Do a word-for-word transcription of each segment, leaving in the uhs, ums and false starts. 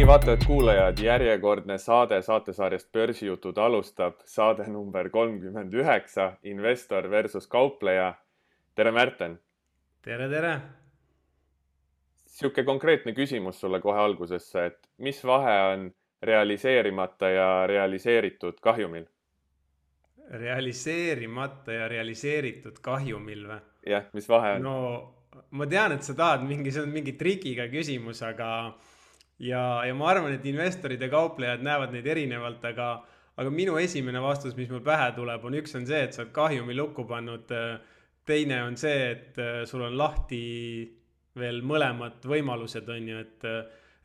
vaatajad-kuulajad, järjekordne saade saatesarjast Börsijutud alustab, saade number kolmkümmend üheksa, investor versus kaupleja. Tere, Märten! Tere, tere! Siuke konkreetne küsimus sulle kohe algusesse, et mis vahe on realiseerimata ja realiseeritud kahjumil? Realiseerimata ja realiseeritud kahjumil või? Jah, mis vahe on? No, ma tean, et sa tahad mingi, see on mingi trikiga küsimus, aga ja, ja ma arvan, et investorid ja kauplejad näevad neid erinevalt, aga, aga minu esimene vastus, mis mul pähe tuleb, on üks on see, et sa oled kahjumi lukku pannud. Teine on see, et sul on lahti veel mõlemad võimalused, on ju, et,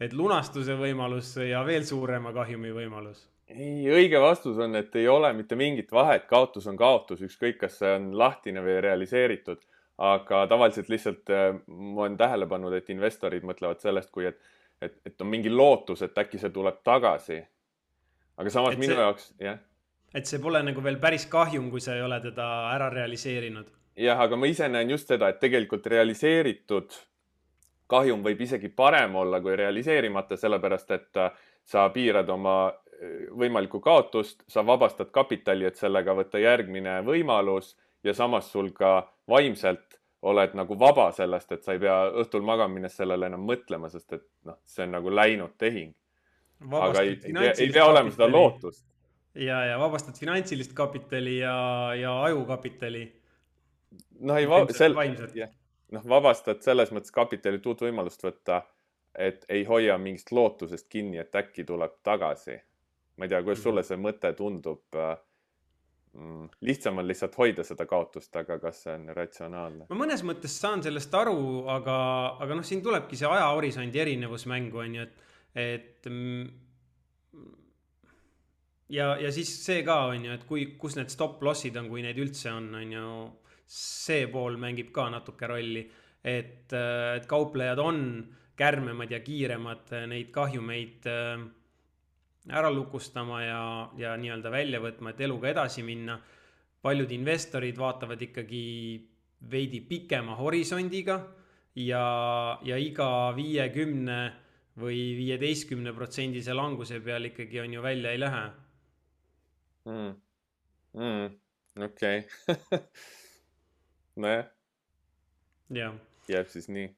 et lunastuse võimalus ja veel suurema kahjumi võimalus. Ei, õige vastus on, et ei ole mitte mingit vahet, kaotus on kaotus, ükskõik kas see on lahtine või realiseeritud, aga tavaliselt lihtsalt ma olen tähele pannud, et investorid mõtlevad sellest, kui et, et, et on mingi lootus, et äkki see tuleb tagasi. Aga samas Et minu see- jaoks, jah, Et see pole nagu veel päris kahjum, kui sa ei ole teda ära realiseerinud. jah, aga ma ise näen just seda, et tegelikult realiseeritud kahjum võib isegi parem olla kui realiseerimata, sellepärast et äh, sa piirad oma äh, võimalikku kaotust, sa vabastad kapitali, et sellega võtta järgmine võimalus ja samas sul ka vaimselt oled nagu vaba sellest, et sa ei pea õhtul magama minnes sellele enam mõtlema, sest et noh, see on nagu läinud tehing. Aga ei, ei, pea, ei pea olema seda lootust. Ja, ja vabastad finantsilist kapitali ja, ja ajukapitali. Noh, ei, va- Vaimselt- sel, vaimselt. jah, noh, vabastad selles mõttes kapitalilt uut võimalust võtta, et ei hoia mingist lootusest kinni, et äkki tuleb tagasi. Ma ei tea, kuidas sulle see mõte tundub. äh, mm, Lihtsam on lihtsalt hoida seda kaotust, aga kas see on ratsionaalne? Ma mõnes mõttes saan sellest aru, aga, aga noh, siin tulebki see ajahorisondi erinevus mängu, on ju, et, et mm, ja, ja siis see ka on ju, et kui, kus need stop lossid on, kui neid üldse on, on ju, see pool mängib ka natuke rolli, et, äh, et kauplejad on kärmemad ja kiiremad äh, neid kahjumeid äh, ära lukustama ja, ja nii-öelda välja võtma, et eluga edasi minna. Paljud investorid vaatavad ikkagi veidi pikema horisondiga ja, ja iga viiekümne või viieteistkümne protsendise languse peal ikkagi on ju välja ei lähe. Mm. Mm. Okei. Nojah, Jah, jääb siis nii.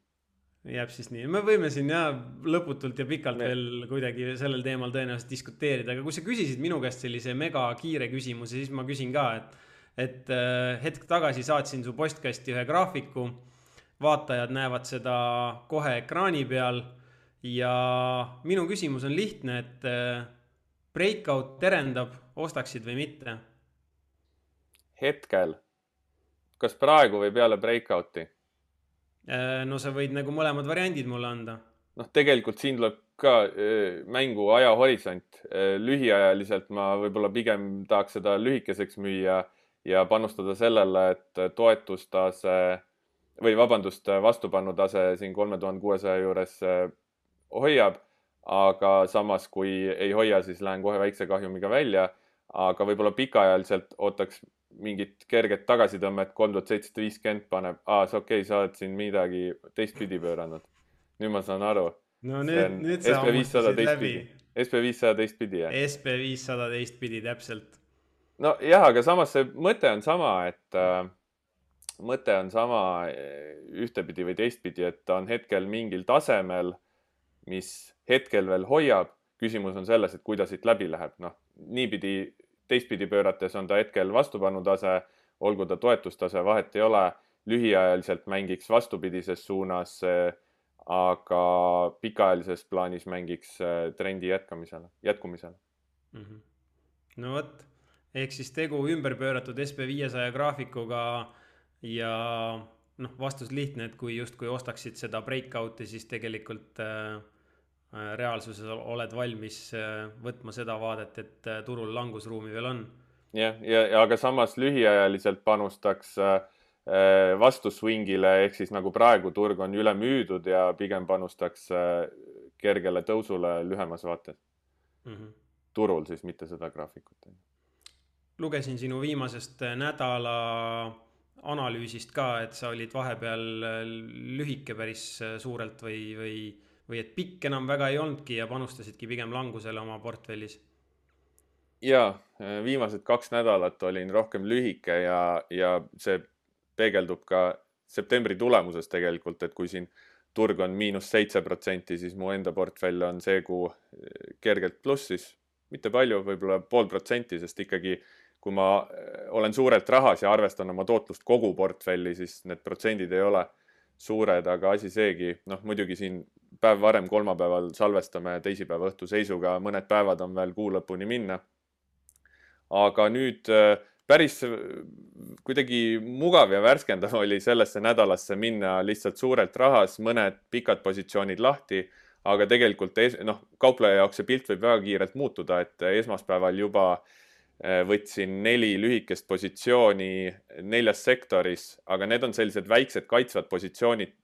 jääb siis nii. Me võime siin jah lõputult ja pikalt Me- veel kuidagi sellel teemal tõenäoliselt diskuteerida, aga kui sa küsisid minu käest sellise mega kiire küsimuse, siis ma küsin ka, et, et äh, hetk tagasi saatsin su postkasti ühe graafiku, vaatajad näevad seda kohe ekraani peal ja minu küsimus on lihtne, et äh, breakout terendab, ostaksid või mitte? Hetkel, kas praegu või peale breakouti? Äh, No sa võid nagu mõlemad variandid mulle anda. Noh, tegelikult siin tuleb ka öö, mängu ajahorisont. Öö, Lühiajaliselt ma võib-olla pigem tahaks seda lühikeseks müüa ja panustada sellele, et toetustase või vabandust, vastupannutase siin kolme tuhande kuuesaja juures öö, hoiab, aga samas kui ei hoia, siis lähen kohe väikse kahjumiga välja, aga võib-olla pikaajaliselt ootaks mingit kerget tagasitõmmet, kolm tuhat seitsesada viiskümmend paneb, aa, see okei, sa oled siin midagi teistpidi pööranud. Nüüd ma saan aru. No See nüüd, on nüüd sa S P viissada hammustasid läbi. teistpidi. S P viissada teistpidi, jah. S P viissada teistpidi täpselt. No jah, aga samas see mõte on sama, et äh, mõte on sama äh, ühtepidi või teistpidi, et ta on hetkel mingil tasemel, mis hetkel veel hoiab. Küsimus on selles, et kuidas siit läbi läheb. Noh, niipidi teistpidi pöörates on ta hetkel vastupannutase, olgu ta toetustase, vahet ei ole. Lühiajaliselt mängiks vastupidises suunas, äh, aga pikaajalises plaanis mängiks äh, trendi jätkamisele, jätkumisele. Mhm. No vot, ehk siis tegu ümber pööratud S P viiesaja graafikuga ja noh, vastus lihtne, et kui just kui ostaksid seda breakout'i, siis tegelikult äh, äh, reaalsuses oled valmis äh, võtma seda vaadet, et äh, turul langusruumi veel on. Jah, ja, ja aga samas lühiajaliselt panustaks äh, äh, vastu swingile, ehk siis nagu praegu turg on üle müüdud ja pigem panustaks äh, kergele tõusule lühemas vaates. Mhm. Turul siis, mitte seda graafikut. Lugesin sinu viimasest äh, nädala analüüsist ka, et sa olid vahepeal äh, lühike päris äh, suurelt või, või või et pikk enam väga ei olnudki ja panustasidki pigem langusele oma portfellis? Jaa, viimased kaks nädalat olin rohkem lühike ja, ja see peegeldub ka septembri tulemuses tegelikult, et kui siin turg on miinus seitse protsenti, siis mu enda portfell on see kuu kergelt plussis, mitte palju, võib-olla pool protsenti, sest ikkagi kui ma olen suurelt rahas ja arvestan oma tootlust kogu portfelli, siis need protsendid ei ole suured, aga asi seegi, noh muidugi siin päev varem kolmapäeval salvestame teisipäeva õhtu seisuga, mõned päevad on veel kuu lõpuni minna. Aga nüüd päris kuidagi mugav ja värskendav oli sellesse nädalasse minna lihtsalt suurelt rahas, mõned pikad positsioonid lahti, aga tegelikult noh, kaupleja jaoks see pilt võib väga kiirelt muutuda, et esmaspäeval juba võtsin neli lühikest positsiooni neljas sektoris, aga need on sellised väiksed kaitsvad positsioonid,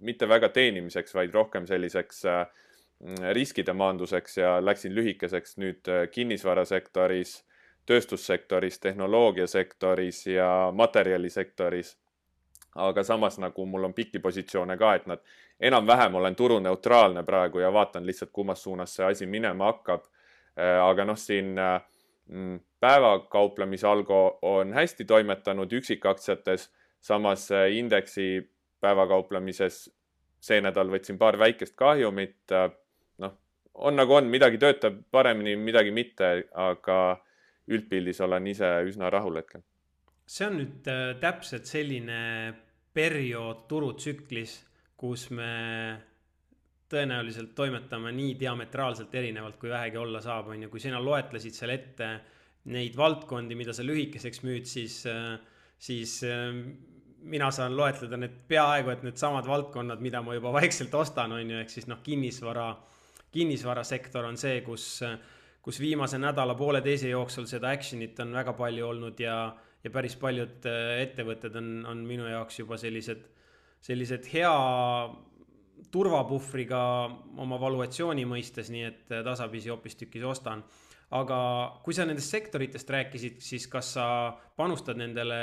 mitte väga teenimiseks, vaid rohkem selliseks riskide maanduseks ja läksin lühikeseks nüüd kinnisvarasektoris, tööstussektoris, tehnoloogiasektoris ja materjalisektoris. Aga samas nagu mul on pikki positsioone ka, et nad enam-vähem olen turuneutraalne praegu ja vaatan lihtsalt, kummas suunas see asi minema hakkab. Aga noh, siin päevakauplemisalgo on hästi toimetanud üksikaktsiates, samas indeksi päevakauplemises see nädal võtsin paar väikest kahjumit. Noh, on nagu on, midagi töötab paremini, midagi mitte, aga üldpildis olen ise üsna rahul hetkel. See on nüüd täpselt selline periood turutsüklis, kus me tõenäoliselt toimetame nii diametraalselt erinevalt, kui vähegi olla saab. On ju, kui sina loetlesid seal ette neid valdkondi, mida sa lühikeseks müüd, siis, siis mina saan loetleda need peaaegu, et need samad valdkonnad, mida ma juba vaikselt ostan, on ju, ehk siis noh, kinnisvara, kinnisvarasektor on see, kus kus viimase nädala poole teise jooksul seda actionit on väga palju olnud ja, ja päris paljud ettevõtted on, on minu jaoks juba sellised, sellised hea turvapuhvriga oma valuatsiooni mõistes, nii et tasapisi hoopistükkis ostan. Aga kui sa nendest sektoritest rääkisid, siis kas sa panustad nendele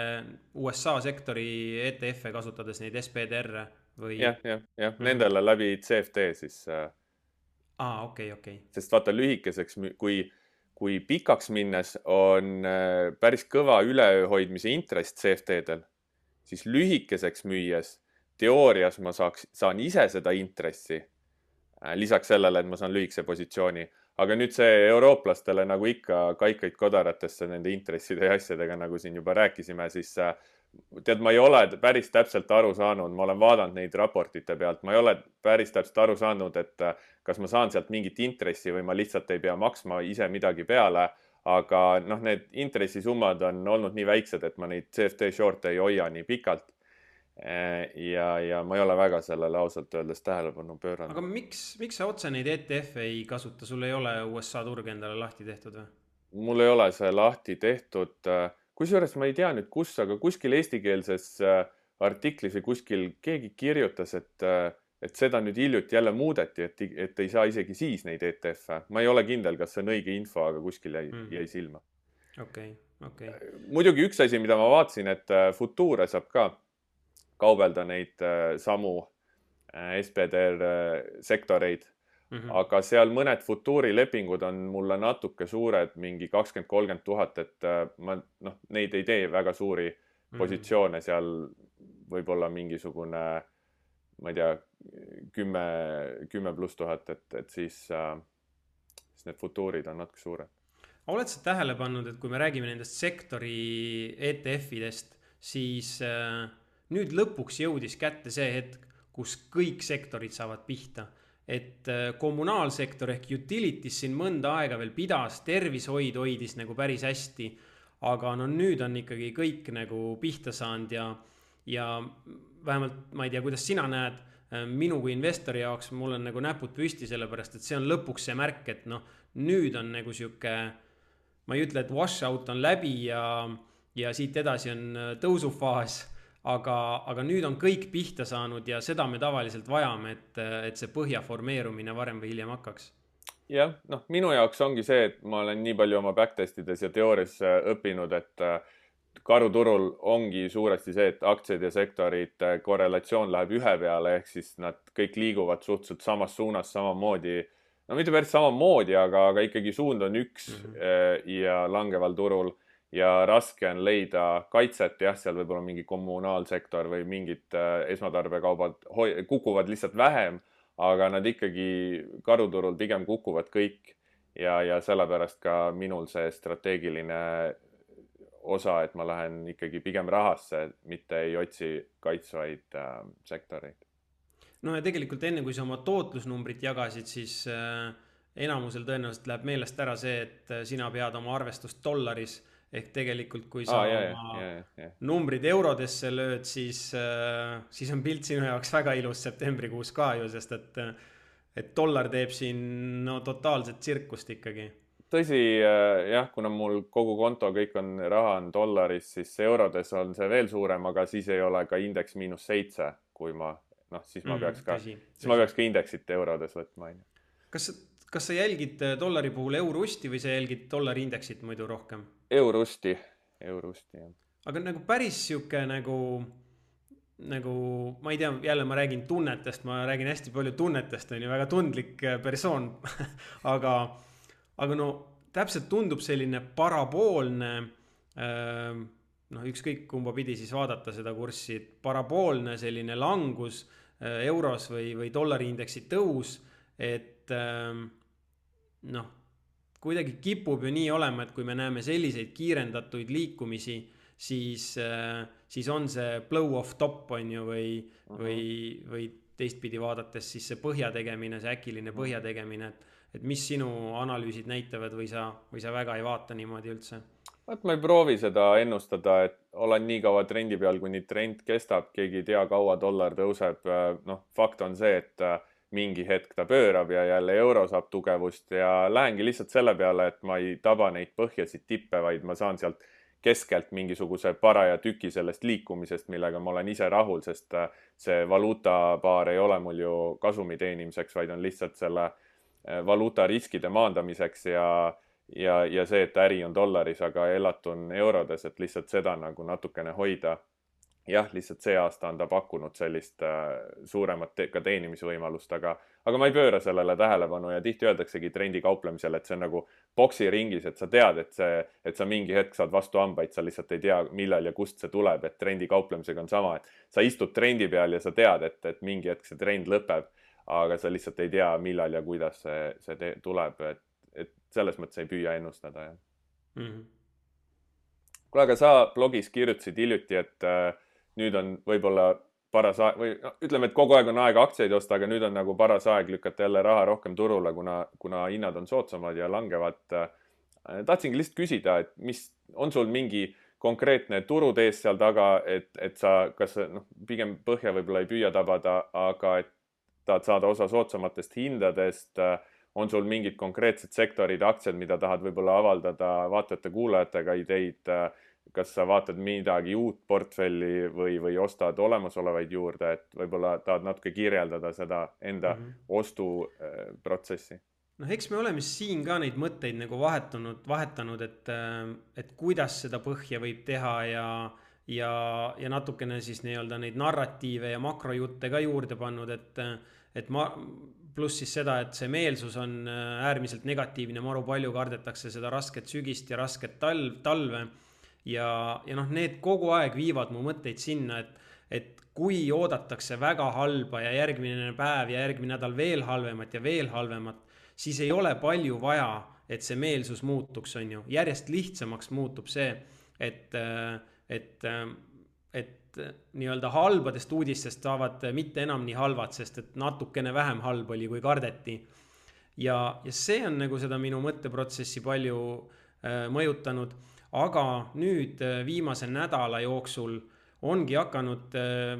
U S A sektori E T F-e kasutades neid S P D R-e või? Jah, jah, jah, nendele läbi C F D siis... Aa, okei, okei. Sest vaata lühikeseks, kui, kui pikaks minnes on päris kõva ülehoidmise intress C F D-del, siis lühikeseks müües teoorias ma saaks, saan ise seda intressi, lisaks sellele, et ma saan lühikese positsiooni. Aga nüüd see eurooplastele nagu ikka kaikaid kodaratesse nende intresside ja asjadega, nagu siin juba rääkisime, siis tead, ma ei ole päris täpselt aru saanud, ma olen vaadanud neid raportite pealt, ma ei ole päris täpselt aru saanud, et kas ma saan sealt mingit intressi või ma lihtsalt ei pea maksma ise midagi peale, aga noh, need intressisummad on olnud nii väiksed, et ma neid C F D short ei hoia nii pikalt ja, ja ma ei ole väga sellele ausalt öeldes tähelepanu pööranud. Aga miks, miks sa otse neid E T F ei kasuta? Sul ei ole U S A turg endale lahti tehtud või? Mul ei ole see lahti tehtud. Kusjuures ma ei tea nüüd kus, aga kuskil eestikeelses artiklis või kuskil keegi kirjutas, et, et seda nüüd hiljuti jälle muudeti, et, et ei saa isegi siis neid E T F-e. Ma ei ole kindel, kas see on õige info, aga kuskil jäi, mm. jäi silma. Okei, okei. Muidugi üks asi, mida ma vaatsin, et Future saab ka kaubelda neid samu S P D R sektoreid, mm-hmm. aga seal mõned Futuri lepingud on mulle natuke suured, mingi kakskümmend kolmkümmend tuhat, et ma noh, neid ei tee väga suuri mm-hmm. positsioone, seal võib-olla mingisugune, ma ei tea, kümme, kümme pluss tuhat, et, et siis, siis need Futurid on natuke suured. Oled sa tähele pannud, et kui me räägime nendest sektori E T F-idest, siis äh, nüüd lõpuks jõudis kätte see hetk, kus kõik sektorid saavad pihta. Et äh, kommunaalsektor ehk utilities siin mõnda aega veel pidas, tervishoid hoidis nagu päris hästi, aga no nüüd on ikkagi kõik nagu pihta saanud ja, ja vähemalt ma ei tea, kuidas sina näed, minu kui investori jaoks mul on nagu näpud püsti, sellepärast et see on lõpuks see märk, et noh, nüüd on nagu siuke, ma ei ütle, et washout on läbi ja, ja siit edasi on tõusufaas, aga, aga nüüd on kõik pihta saanud ja seda me tavaliselt vajame, et, et see põhja formeerumine varem või hiljem hakkaks. Jah, noh, minu jaoks ongi see, et ma olen nii palju oma backtestides ja teoorias õppinud, et karuturul ongi suuresti see, et aktsiad ja sektorid korrelatsioon läheb ühe peale, ehk siis nad kõik liiguvad suhteliselt samas suunas samamoodi. No mitte päris samamoodi, aga, aga ikkagi suund on üks mm -hmm. ja langeval turul ja raske on leida kaitset. Jah, seal võib olla mingi kommunaalsektor või mingid esmatarbekaubad kukuvad lihtsalt vähem, aga nad ikkagi karuturul pigem kukuvad kõik ja, ja sellepärast ka minul see strateegiline osa, et ma lähen ikkagi pigem rahasse, mitte ei otsi kaitsvaid äh, sektoreid. No ja tegelikult enne, kui sa oma tootlusnumbrit jagasid, siis äh, enamusel tõenäoliselt läheb meelest ära see, et sina pead oma arvestust dollaris, ehk tegelikult kui sa ah, jah, oma jah, jah, jah. numbrid eurodesse lööd, siis, äh, siis on pilt sinu jaoks väga ilus septembrikuus ka ju, sest et, et dollar teeb siin no totaalset tsirkust ikkagi. Tõsi, jah, kuna mul kogu konto, kõik on raha on dollaris, siis eurodes on see veel suurem, aga siis ei ole ka indeks miinus seitse, kui ma, noh, siis ma peaks ka, tõsi, siis tõsi. ma peaks ka indeksit eurodes võtma. Kas, kas sa jälgid dollari puhul Eurosti või sa jälgid dollari indeksit muidu rohkem? Eurosti, Eurosti, jah. Aga nagu päris siuke nagu, nagu, ma ei tea, jälle ma räägin tunnetest, ma räägin hästi palju tunnetest, on ju, väga tundlik persoon, aga Aga no täpselt tundub selline paraboolne, noh ükskõik kumba pidi siis vaadata seda kurssi, paraboolne selline langus euros või, või dollari indeksi tõus, et noh, kuidagi kipub ju nii olema, et kui me näeme selliseid kiirendatuid liikumisi, siis, siis on see blow off top on ju või, uh-huh. või, või teistpidi vaadates siis see põhja tegemine, see äkiline põhja tegemine, et et mis sinu analüüsid näitavad või sa, või sa väga ei vaata niimoodi üldse? Vaat ma ei proovi seda ennustada, et olen nii kaua trendi peal, kuni trend kestab, keegi ei tea, kaua dollar tõuseb. Noh, fakt on see, et mingi hetk ta pöörab ja jälle euro saab tugevust ja lähengi lihtsalt selle peale, et ma ei taba neid põhjasid tippe, vaid ma saan sealt keskelt mingisuguse paraja tüki sellest liikumisest, millega ma olen ise rahul, sest see valuutapaar ei ole mul ju kasumi teenimiseks, vaid on lihtsalt selle valuuta riskide maandamiseks ja, ja, ja see, et äri on dollaris, aga elatun eurodes, et lihtsalt seda nagu natukene hoida. Jah, lihtsalt see aasta on ta pakkunud sellist suuremat te ka teenimisvõimalust, aga, aga ma ei pööra sellele tähelepanu ja tihti öeldaksegi trendi kauplemisel, et see on nagu boksi ringis, et sa tead, et, see, et sa mingi hetk saad vastu hambaid, sa lihtsalt ei tea, millal ja kust see tuleb, et trendi kauplemisega on sama, et sa istud trendi peal ja sa tead, et, et mingi hetk see trend lõpeb, aga sa lihtsalt ei tea, millal ja kuidas see, see tuleb, et, et selles mõttes ei püüa ennustada. Jah. Mm -hmm. Kuule, aga sa blogis kirjutasid hiljuti, et äh, nüüd on võib-olla paras aeg, või no, ütleme, et kogu aeg on aeg aktsiaid osta, aga nüüd on nagu paras aeg lükata jälle raha rohkem turule, kuna, kuna hinnad on soodsamad ja langevad. Äh, tahtsingi lihtsalt küsida, et mis on sul mingi konkreetne turutees seal taga, et, et sa, kas noh, pigem põhja võib-olla ei püüa tabada, aga et tahad saada osa soodsamatest hindadest, on sul mingid konkreetsed sektorid, aktsiad, mida tahad võib-olla avaldada vaatajate kuulajatega ideid, kas sa vaatad midagi uut portfelli või, või ostad olemasolevaid juurde, et võib-olla tahad natuke kirjeldada seda enda mm -hmm. ostuprotsessi? Noh, eks me oleme siin ka neid mõtteid nagu vahetanud, vahetanud, et, et kuidas seda põhja võib teha ja ja, ja natukene siis nii-öelda neid narratiive ja makrojutte ka juurde pannud, et, et ma, pluss siis seda, et see meelsus on äärmiselt negatiivne, maru palju kardetakse seda rasket sügist ja rasket talv, talve ja, ja noh, need kogu aeg viivad mu mõtteid sinna, et, et kui oodatakse väga halba ja järgmine päev ja järgmine nädal veel halvemat ja veel halvemat, siis ei ole palju vaja, et see meelsus muutuks, on ju. Järjest lihtsamaks muutub see, et et, et nii-öelda halbadest uudistest saavad mitte enam nii halvad, sest et natukene vähem halb oli, kui kardeti. Ja, ja see on nagu seda minu mõtteprotsessi palju äh, mõjutanud, aga nüüd äh, viimase nädala jooksul ongi hakanud äh,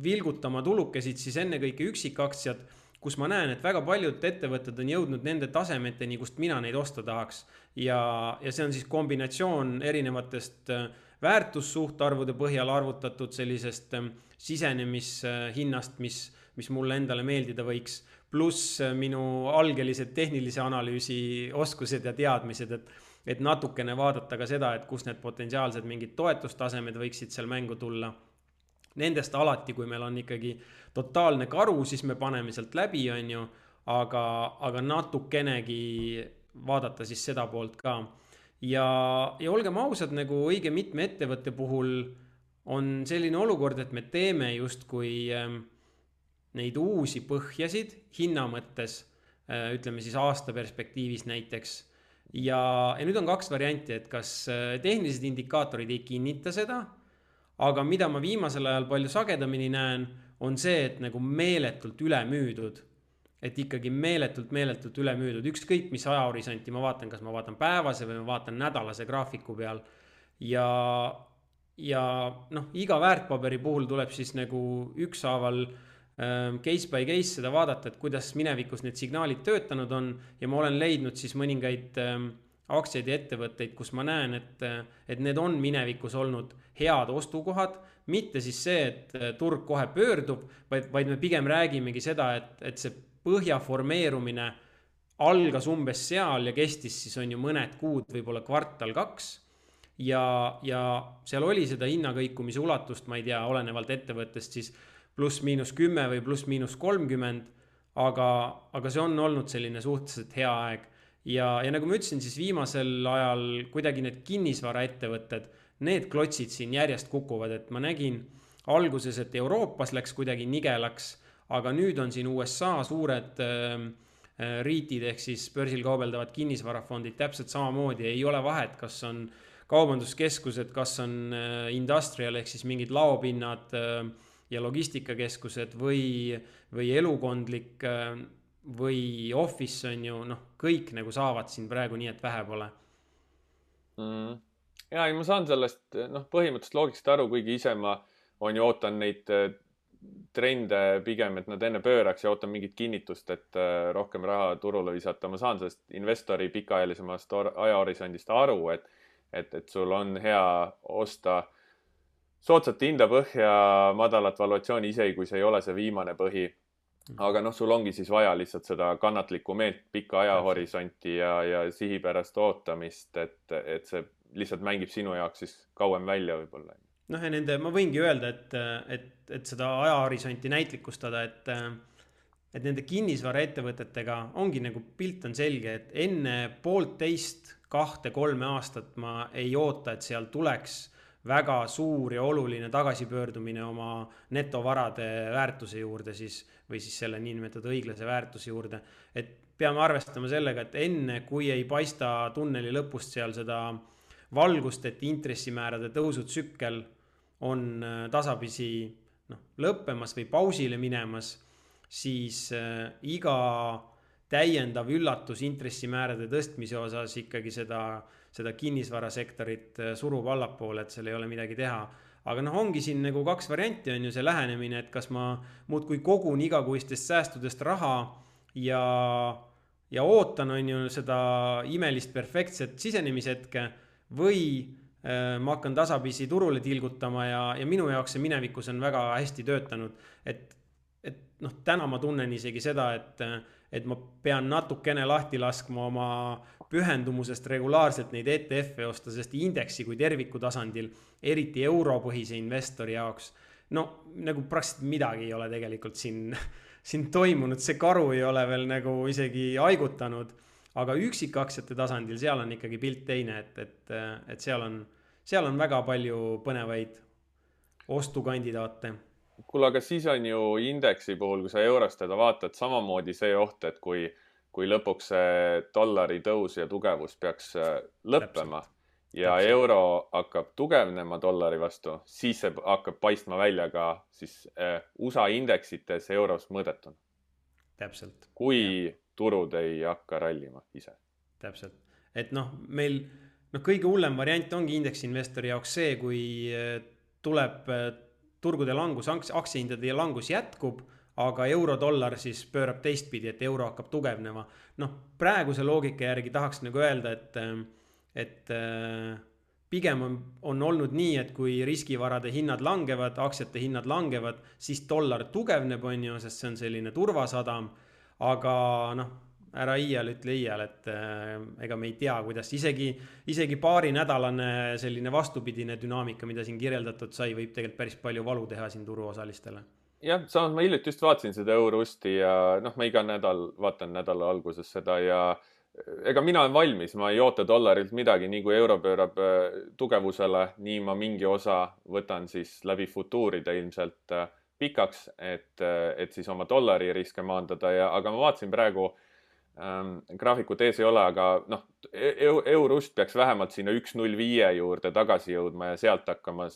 vilgutama tulukesid siis ennekõike üksikaktsiad, kus ma näen, et väga paljud ettevõtted on jõudnud nende tasemeteni, kust mina neid osta tahaks. Ja, ja see on siis kombinatsioon erinevatest äh, väärtussuhtarvude põhjal arvutatud sellisest sisenemishinnast, mis, mis mulle endale meeldida võiks, pluss minu algelised tehnilise analüüsi oskused ja teadmised, et, et natukene vaadata ka seda, et kus need potentsiaalsed mingid toetustasemed võiksid seal mängu tulla. Nendest alati, kui meil on ikkagi totaalne karu, siis me paneme sealt läbi, on ju, aga, aga natukenegi vaadata siis seda poolt ka. Ja, ja olgem ausad, nagu õige mitme ettevõtte puhul on selline olukord, et me teeme just kui neid uusi põhjasid hinna mõttes, ütleme siis aasta perspektiivis näiteks. Ja, ja nüüd on kaks varianti, et kas tehnilised indikaatorid ei kinnita seda, aga mida ma viimasel ajal palju sagedamini näen, on see, et nagu meeletult üle müüdud. Et ikkagi meeletult, meeletult üle müüdud. Ükskõik, mis ajahorisonti ma vaatan, kas ma vaatan päevase või ma vaatan nädalase graafiku peal. Ja, ja noh, iga väärtpaberi puhul tuleb siis nagu ükshaaval case by case seda vaadata, et kuidas minevikus need signaalid töötanud on ja ma olen leidnud siis mõningaid aktsiaid ja ettevõtteid, kus ma näen, et, et need on minevikus olnud head ostukohad, mitte siis see, et turg kohe pöördub, vaid, vaid me pigem räägimegi seda, et, et see põhja formeerumine algas umbes seal ja kestis siis on ju mõned kuud, võib-olla kvartal kaks ja, ja seal oli seda hinnakõikumise ulatust, ma ei tea, olenevalt ettevõttest siis pluss miinus kümme või pluss miinus kolmkümmend, aga, aga see on olnud selline suhteliselt hea aeg. Ja, ja nagu ma ütlesin, siis viimasel ajal kuidagi need kinnisvaraettevõtted, need klotsid siin järjest kukuvad, et ma nägin alguses, et Euroopas läks kuidagi nigelaks, aga nüüd on siin U S A suured äh, riitid ehk siis börsil kaubeldavad kinnisvarafondid täpselt samamoodi, ei ole vahet, kas on kaubanduskeskused, kas on äh, industrial ehk siis mingid laopinnad äh, ja logistikakeskused või, või elukondlik või office on ju, noh, kõik nagu saavad siin praegu nii, et vähe pole. Mm. Ja, ma saan sellest noh, põhimõtteliselt loogiliselt aru, kuigi ise ma on ju ootan neid trende pigem, et nad enne pööraks ja ootan mingit kinnitust, et rohkem raha turule visata. Ma saan sellest investori pikaajalisemast ajahorisondist aru, et, et, et sul on hea osta soodsat hinda põhja, madalat valuatsiooni isegi, kui see ei ole see viimane põhi. Aga noh, sul ongi siis vaja lihtsalt seda kannatlikku meelt, pikka ajahorisonti ja, ja sihipärast ootamist, et, et see lihtsalt mängib sinu jaoks siis kauem välja võib-olla. Noh ja nende, ma võingi öelda, et, et, et seda ajahorisonti näitlikustada, et, et nende kinnisvaraettevõtetega ongi nagu pilt on selge, et enne poolteist, kahte, kolme aastat ma ei oota, et seal tuleks väga suur ja oluline tagasipöördumine oma netovarade väärtuse juurde siis, või siis selle niinimetatud õiglase väärtuse juurde. Et peame arvestama sellega, et enne kui ei paista tunneli lõpust seal seda valgust, et intressimäärade tõusutsükkel on tasapisi noh, lõppemas või pausile minemas, siis äh, iga täiendav üllatus intressimäärade tõstmise osas ikkagi seda seda kinnisvarasektorit surub allapoole, et seal ei ole midagi teha. Aga noh, ongi siin nagu kaks varianti on ju see lähenemine, et kas ma muudkui kogun igakuistest säästudest raha ja, ja ootan on ju seda imelist perfektset sisenemishetke või äh, ma hakkan tasapisi turule tilgutama ja, ja minu jaoks see minevikus on väga hästi töötanud. Et, et noh, täna ma tunnen isegi seda, et, et ma pean natukene lahti laskma oma pühendumusest regulaarselt neid E T F-e osta, sest indeksi kui terviku tasandil, eriti europõhise investori jaoks, no nagu praktiliselt midagi ei ole tegelikult siin, siin toimunud, see karu ei ole veel nagu isegi haigutanud, aga üksikaktsiate tasandil seal on ikkagi pilt teine, et, et, et seal on, seal on väga palju põnevaid ostukandidaate. Kuule, aga siis on ju indeksi puhul, kui sa eurost teda vaatad, samamoodi see oht, et kui kui lõpuks see dollari tõus ja tugevus peaks lõppema Täpselt. ja Täpselt. euro hakkab tugevnema dollari vastu, siis see hakkab paistma välja ka siis U S A indeksites euros mõõdetuna. Täpselt. Kui ja. turud ei hakka rallima ise. Täpselt. Et noh, meil noh, kõige hullem variant ongi indeksinvestori jaoks see, kui tuleb turgude langus, aktsiahindade langus jätkub, aga euro-dollar siis pöörab teistpidi, et euro hakkab tugevnema. Noh, praeguse loogika järgi tahaks nagu öelda, et, et pigem on, on olnud nii, et kui riskivarade hinnad langevad, aktsiate hinnad langevad, siis dollar tugevneb, on ju, sest see on selline turvasadam. Aga noh, ära iial ütle iial, et äh, ega me ei tea, kuidas isegi, isegi paari nädalane selline vastupidine dünaamika, mida siin kirjeldatud sai, võib tegelikult päris palju valu teha siin turuosalistele. jah, samas ma hiljuti just vaatasin seda Eurosti ja noh, ma iga nädal vaatan nädala alguses seda ja ega mina olen valmis, ma ei oota dollarilt midagi, nii kui euro pöörab tugevusele, nii ma mingi osa võtan siis läbi futuuride ilmselt pikaks, et, et siis oma dollari riske maandada ja, aga ma vaatasin praegu ähm, graafikut ees ei ole, aga noh, Eurust peaks vähemalt sinna üks null viie juurde tagasi jõudma ja sealt hakkama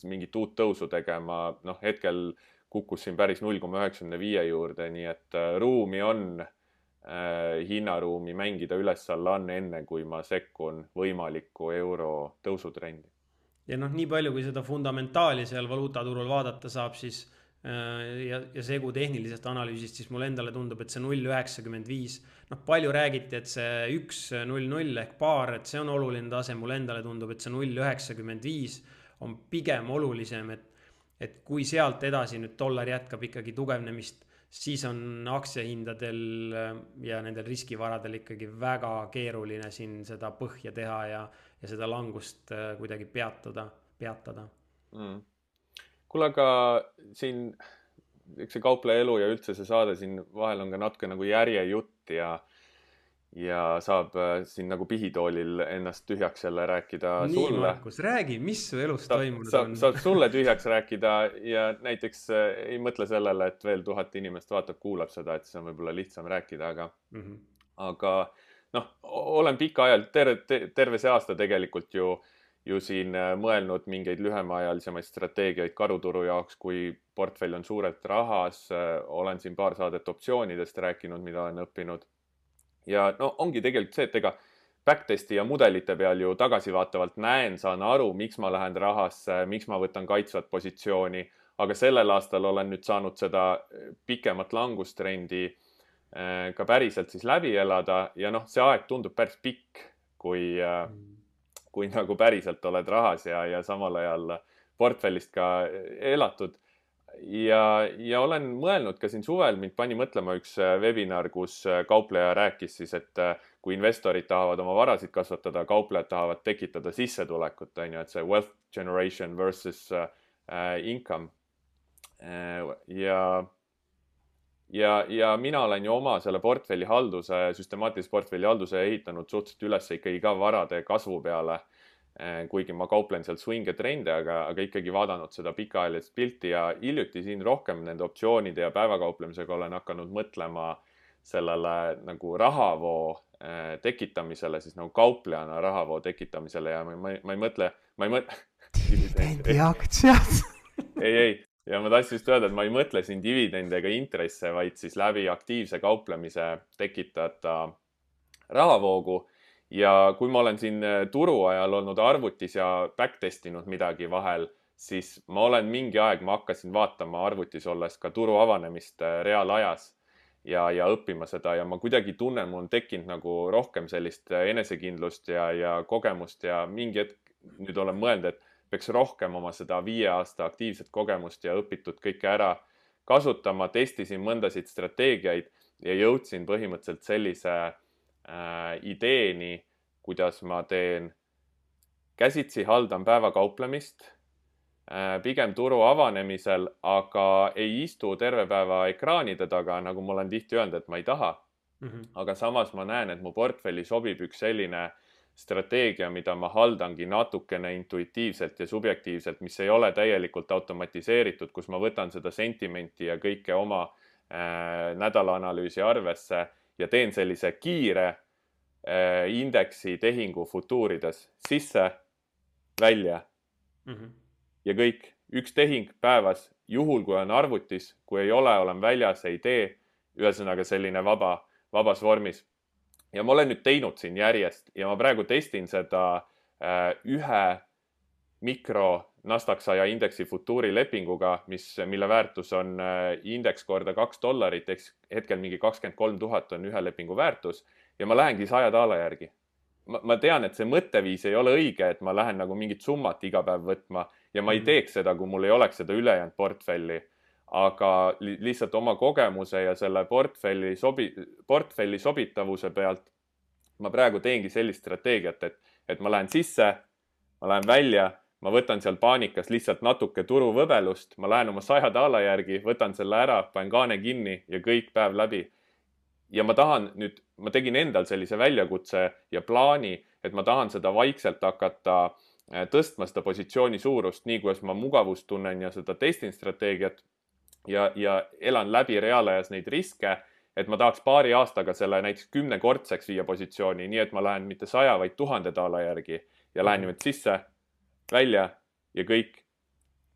mingit uut tõusu tegema, noh, hetkel kukkus siin päris null koma üheksakümne viie juurde, nii et ruumi on äh, hinnaruumi mängida üles-alla on enne, kui ma sekkun võimaliku euro tõusutrendi. Ja noh, nii palju, kui seda fundamentaali seal valuutaturul vaadata saab, siis ja, ja segu tehnilisest analüüsist, siis mulle endale tundub, et see null üheksakümmend viis, noh, palju räägiti, et see üks null null ehk paar, et see on oluline tase, mulle endale tundub, et see null üheksakümmend viis on pigem olulisem, et et kui sealt edasi nüüd dollar jätkab ikkagi tugevnemist, siis on aktsiahindadel ja nendel riskivaradel ikkagi väga keeruline siin seda põhja teha ja, ja seda langust kuidagi peatada, peatada. Mm. Kuule, aga siin üks see kaupleja elu ja üldse see saade siin vahel on ka natuke nagu järjejutt ja ja saab siin nagu pihitoolil ennast tühjaks jälle rääkida nii, sulle. Nii, Markus, räägi, mis su elus Sa, toimunud sa, on? Saab sulle tühjaks rääkida ja näiteks ei mõtle sellele, et veel tuhat inimest vaatab, kuulab seda, et see on võib-olla lihtsam rääkida, aga, mm -hmm. aga noh, olen pika ajal, terve, terve see aasta tegelikult ju, ju siin mõelnud mingeid lühemaajalisemaid strateegiaid karuturu jaoks, kui portfell on suurelt rahas, olen siin paar saadet optsioonidest rääkinud, mida olen õppinud. Ja no ongi tegelikult see, et ega backtesti ja mudelite peal ju tagasivaatavalt näen, saan aru, miks ma lähen rahasse, miks ma võtan kaitsvat positsiooni, aga sellel aastal olen nüüd saanud seda pikemat langustrendi ka päriselt siis läbi elada ja noh, see aeg tundub päris pikk, kui, kui nagu päriselt oled rahas ja, ja samal ajal portfellist ka elatud. Ja, ja olen mõelnud ka siin suvel, mind pani mõtlema üks webinar, kus kaupleja rääkis siis, et kui investorid tahavad oma varasid kasvatada, kauplejad tahavad tekitada sissetulekut, on ju, et see wealth generation versus uh, income. Uh, ja, ja, ja mina olen ju oma selle portfelli halduse, süstemaatilise portfelli halduse ehitanud suhteliselt üles ikkagi ka varade kasvu peale. Kuigi ma kauplen seal swing ja trende, aga, aga ikkagi vaadanud seda pikaajalist pilti ja hiljuti siin rohkem nende optsioonide ja päevakauplemisega olen hakanud mõtlema sellele nagu rahavoo tekitamisele, siis nagu kauplejana rahavoo tekitamisele ja ma, ma, ma ei mõtle, ma ei mõtle dividendi aktsiad. ei, ei, ja ma tahtsin just öelda, et ma ei mõtle siin dividende ega intresse, vaid siis läbi aktiivse kauplemise tekitada rahavoogu. Ja kui ma olen siin turu ajal olnud arvutis ja backtestinud midagi vahel, siis ma olen mingi aeg, ma hakkasin vaatama arvutis olles ka turu avanemist reaalajas ja, ja õppima seda ja ma kuidagi tunnen, mul on tekkinud nagu rohkem sellist enesekindlust ja, ja kogemust ja mingi hetk nüüd olen mõelnud, et peaks rohkem oma seda viie aasta aktiivset kogemust ja õpitud kõike ära kasutama, testisin mõndasid strateegiaid ja jõudsin põhimõtteliselt sellise Äh, ideeni, kuidas ma teen käsitsi haldan päevakauplemist, äh, pigem turu avanemisel, aga ei istu terve päeva ekraanide taga, nagu ma olen tihti öelnud, et ma ei taha. Mm -hmm. Aga samas ma näen, et mu portfelli sobib üks selline strateegia, mida ma haldangi natukene intuitiivselt ja subjektiivselt, mis ei ole täielikult automatiseeritud, kus ma võtan seda sentimenti ja kõike oma äh, nädalaanalüüsi arvesse ja teen sellise kiire äh, indeksi tehingu futuurides sisse, välja mm -hmm. ja kõik. Üks tehing päevas, juhul kui on arvutis, kui ei ole, olen väljas, ei tee. Ühesõnaga selline vaba, vabas vormis. Ja ma olen nüüd teinud siin järjest ja ma praegu testin seda äh, ühe mikro Nasdaq saja indeksi futuuri lepinguga, mis, mille väärtus on äh, indeks korda kaks dollarit, eks hetkel mingi kakskümmend kolm tuhat on ühe lepingu väärtus ja ma lähengi saja daala järgi. Ma, ma tean, et see mõtteviis ei ole õige, et ma lähen nagu mingit summat iga päev võtma ja ma ei teeks seda, kui mul ei oleks seda ülejäänud portfelli. aga lihtsalt oma kogemuse ja selle portfelli sobi, portfelli sobitavuse pealt ma praegu teengi sellist strateegiat, et, et ma lähen sisse, ma lähen välja, ma võtan seal paanikas lihtsalt natuke turuvõbelust, ma lähen oma saja daala järgi, võtan selle ära, panen kaane kinni ja kõik päev läbi. Ja ma tahan nüüd, ma tegin endal sellise väljakutse ja plaani, et ma tahan seda vaikselt hakata tõstma seda positsiooni suurust, nii kuidas ma mugavust tunnen ja seda testin strateegiat ja, ja elan läbi reaalajas neid riske, et ma tahaks paari aastaga selle näiteks kümnekordseks viia positsiooni, nii et ma lähen mitte saja, vaid tuhande daala järgi ja lähen niimoodi sisse, välja ja kõik.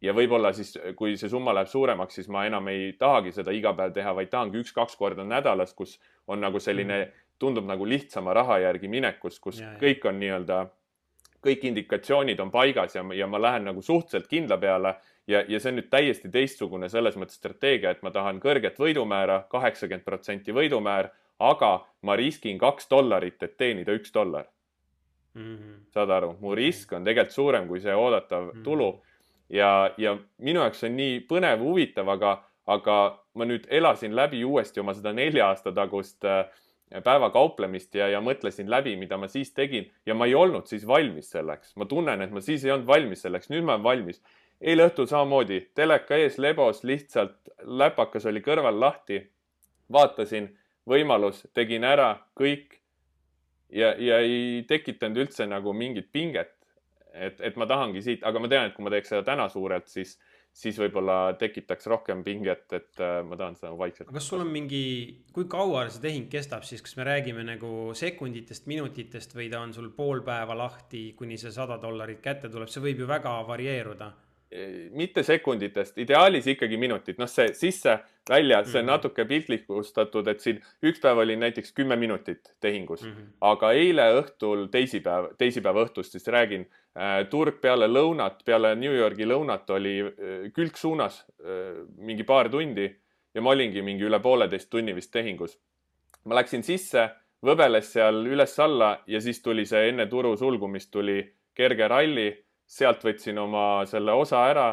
Ja võib-olla siis, kui see summa läheb suuremaks, siis ma enam ei tahagi seda iga päev teha, vaid tahangi üks-kaks korda nädalas, kus on nagu selline, tundub nagu lihtsama raha järgi minekus, kus ja, ja. kõik on nii-öelda, kõik indikatsioonid on paigas ja, ja ma lähen nagu suhteliselt kindla peale ja, ja see on nüüd täiesti teistsugune selles mõttes strateegia, et ma tahan kõrget võidumäära, kaheksakümmend protsenti võidumäär, aga ma riskin kaks dollarit, et teenida üks dollar. Mm -hmm. Saad aru, mu risk on tegelikult suurem kui see oodatav mm -hmm. tulu ja, ja minu jaoks on nii põnev, huvitav, aga, aga ma nüüd elasin läbi uuesti oma seda nelja aasta tagust päevakauplemist ja, ja mõtlesin läbi, mida ma siis tegin ja ma ei olnud siis valmis selleks. Ma tunnen, et ma siis ei olnud valmis selleks, nüüd ma olen valmis. Eile õhtul samamoodi, teleka ees lebos, lihtsalt läpakas oli kõrval lahti, vaatasin võimalus, tegin ära kõik ja, ja ei tekitanud üldse nagu mingit pinget, et, et ma tahangi siit, aga ma tean, et kui ma teeks seda täna suurelt, siis, siis võib-olla tekitaks rohkem pinget, et ma tahan seda vaikselt. Kas sul on mingi, kui kaua see tehing kestab, siis kas me räägime nagu sekunditest, minutitest või ta on sul pool päeva lahti, kuni see sada dollarit kätte tuleb, see võib ju väga varieeruda. Mitte sekunditest, ideaalis ikkagi minutid, noh see sisse, välja, see on natuke piltlikustatud, et siin üks päev oli näiteks kümme minutit tehingus, mm -hmm. aga eile õhtul, teisipäev, teisipäeva õhtust siis räägin, äh, turg peale lõunat, peale New Yorgi lõunat oli äh, külgsuunas äh, mingi paar tundi ja ma olingi mingi üle pooleteist tunni vist tehingus. Ma läksin sisse, võbeles seal üles-alla ja siis tuli see enne turu sulgumist tuli kerge ralli, sealt võtsin oma selle osa ära,